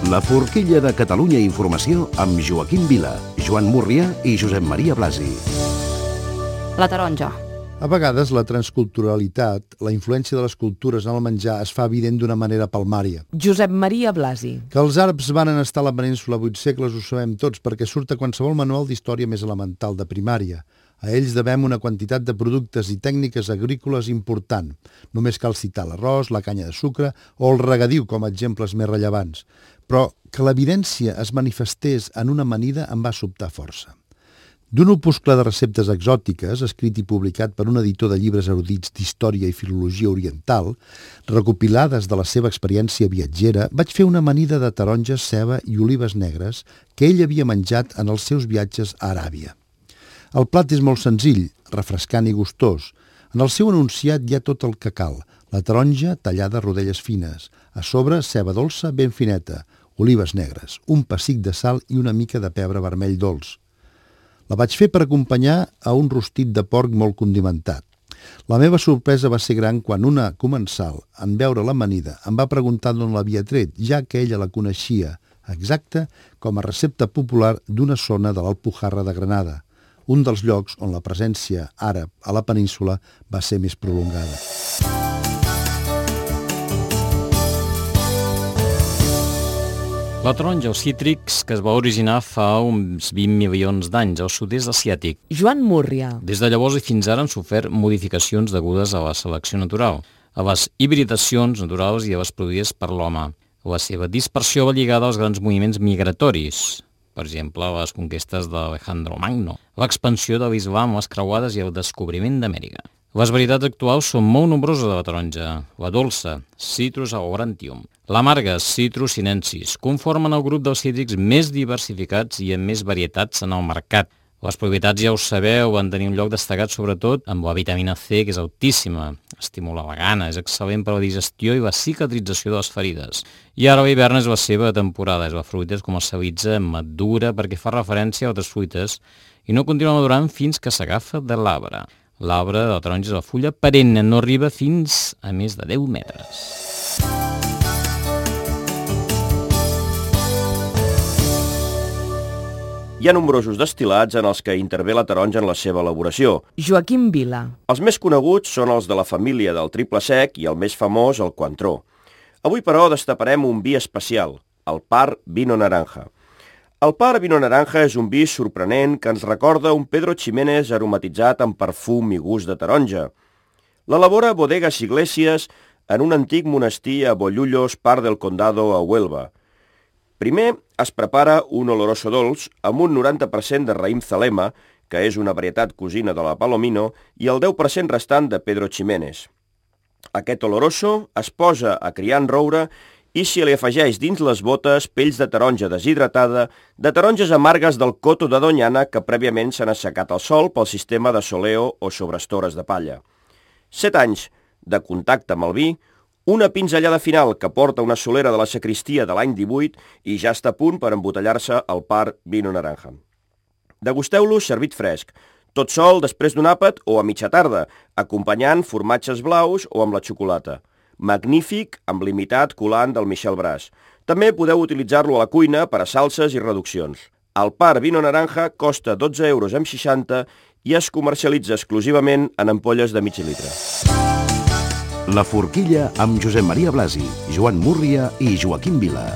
La forquilla de Catalunya Informació amb Joaquim Vila, Joan Múrria i Josep Maria Blasi. La taronja. A vegades la transculturalitat, la influència de les cultures en el menjar es fa evident d'una manera palmària. Josep Maria Blasi. Que els àrabs van estar a la península 8 segles ho sabem tots perquè surt a qualsevol manual d'història més elemental de primària. A ells devem una quantitat de productes i tècniques agrícoles important. Només cal citar l'arròs, la canya de sucre o el regadiu com a exemples més rellevants. Però que l'evidència es manifestés en una amanida em va sobtar força. D'un opuscle de receptes exòtiques, escrit i publicat per un editor de llibres erudits d'història i filologia oriental, recopilades de la seva experiència viatgera, vaig fer una amanida de taronges, ceba i olives negres que ell havia menjat en els seus viatges a Aràbia. El plat és molt senzill, refrescant i gustós. En el seu enunciat hi ha tot el que cal. La taronja tallada a rodelles fines. A sobre, ceba dolça ben fineta, olives negres, un pessic de sal i una mica de pebre vermell dolç. La vaig fer per acompanyar a un rostit de porc molt condimentat. La meva sorpresa va ser gran quan una comensal, en veure l'amanida, em va preguntar d'on l'havia tret, ja que ella la coneixia exacta com a recepta popular d'una zona de l'Alpujarra de Granada, un dels llocs on la presència àrab a la península va ser més prolongada. La taronja o cítrics que es va originar fa uns 20 milions d'anys al sud-est asiàtic. Joan Múrria. Des de llavors i fins ara han sofert modificacions degudes a la selecció natural, a les hibridacions naturals i a les produïdes per l'home. La seva dispersió va lligada als grans moviments migratoris, per exemple, les conquestes d'Alejandro Magno, l'expansió de l'islam, les creuades i el descobriment d'Amèrica. Les varietats actuals són molt nombroses de la taronja. La dolça, Citrus aurantium, l'amarga, Citrus sinensis, conformen el grup dels cítrics més diversificats i amb més varietats en el mercat. Les propietats, ja ho sabeu, van tenir un lloc destacat sobretot amb la vitamina C, que és altíssima. Estimula la gana, és excel·lent per a la digestió i la cicatrització de les ferides. I ara l'hivern és la seva temporada, és la fruita es comercialitza madura perquè fa referència a altres fruites i no continua madurant fins que s'agafa de l'arbre. L'arbre de la taronja és la fulla perenne, no arriba fins a més de 10 metres. Hi ha nombrosos destil·lats en els que intervé la taronja en la seva elaboració. Joaquim Vila. Els més coneguts són els de la família del triple sec i el més famós, el Cointreau. Avui, però, destaparem un vi especial, el Par Vino Naranja. El Par Vino Naranja és un vi sorprenent que ens recorda un Pedro Ximénez aromatitzat amb perfum i gust de taronja. L'elabora Bodegas Iglesias en un antic monestir a Bollullos, Par del Condado, a Huelva. Primer es prepara un oloroso dolç amb un 90% de raïm Zalema, que és una varietat cosina de la Palomino, i el 10% restant de Pedro Ximénez. Aquest oloroso es posa a criar en roure i s'hi li afegeix dins les botes pells de taronja deshidratada, de taronges amargues del coto de Doñana que prèviament s'han assecat al sol pel sistema de soleo o sobre estores de palla. 7 anys de contacte amb el vi, una pinzellada final que porta una solera de la sacristia de l'any 18 i ja està a punt per embotellar-se el Par Vino Naranja. Degusteu-lo servit fresc, tot sol després d'un àpat o a mitja tarda, acompanyant formatges blaus o amb la xocolata. Magnífic amb l'imitat colant del Michel Bras. També podeu utilitzar-lo a la cuina per a salses i reduccions. El Par Vino Naranja costa 12,60 € i es comercialitza exclusivament en ampolles de mig litre. La forquilla amb Josep Maria Blasi, Joan Múrria i Joaquim Vila.